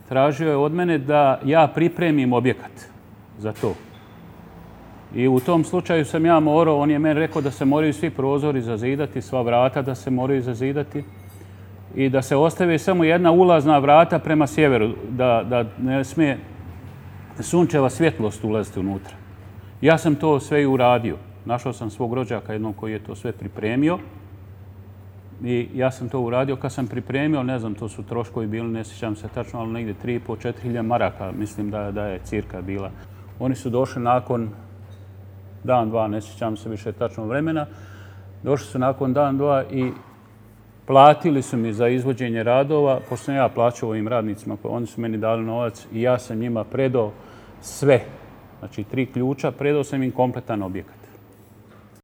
tražio je od mene da ja pripremim objekat za to. I u tom slučaju sam ja morao, on je meni rekao da se moraju svi prozori zazidati, sva vrata da se moraju zazidati i da se ostavi samo jedna ulazna vrata prema sjeveru, da ne smije sunčeva svjetlost ulaziti unutra. Ja sam to sve i uradio. Našao sam svog rođaka jednog koji je to sve pripremio i ja sam to uradio. Kad sam pripremio, ne znam, to su troškovi bili, ne sjećam se tačno, ali negdje 3,5-4 hiljade maraka, mislim da je cirka bila. Oni su došli nakon dan, dva, ne sjećam se više tačno vremena, došli su nakon dan, dva i platili su mi za izvođenje radova, pošto sam ja plaćao ovim radnicima, oni su meni dali novac i ja sam njima predao sve. Znači 3 ključa, predao sam im kompletan objekat.